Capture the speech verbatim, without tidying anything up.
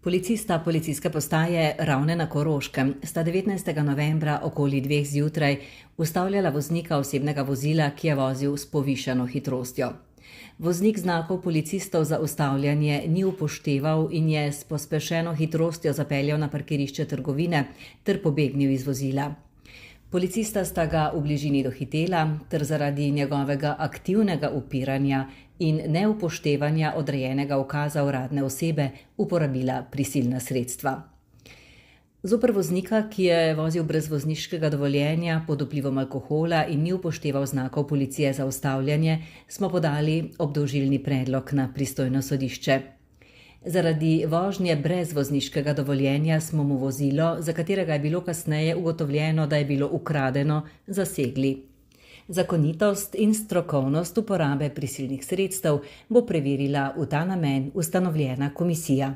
Policista policijske postaje Ravne na Koroškem sta devetnajstega novembra okoli dveh zjutraj ustavljala voznika osebnega vozila, ki je vozil s povišano hitrostjo. Voznik znakov policistov za ustavljanje ni upošteval in je s pospešeno hitrostjo zapeljal na parkirišče trgovine ter pobegnil iz vozila. Policista sta ga v bližini dohitela ter zaradi njegovega aktivnega upiranja in neupoštevanja odrejenega ukaza uradne osebe uporabila prisilna sredstva. Zoper voznika, ki je vozil brez vozniškega dovoljenja pod vplivom alkohola in ni upošteval znakov policije za ustavljanje, smo podali obdolžilni predlog na pristojno sodišče. Zaradi vožnje brez vozniškega dovoljenja smo mu vozilo, za katerega je bilo kasneje ugotovljeno, da je bilo ukradeno, zasegli. Zakonitost in strokovnost uporabe prisilnih sredstev bo preverila v ta namen ustanovljena komisija.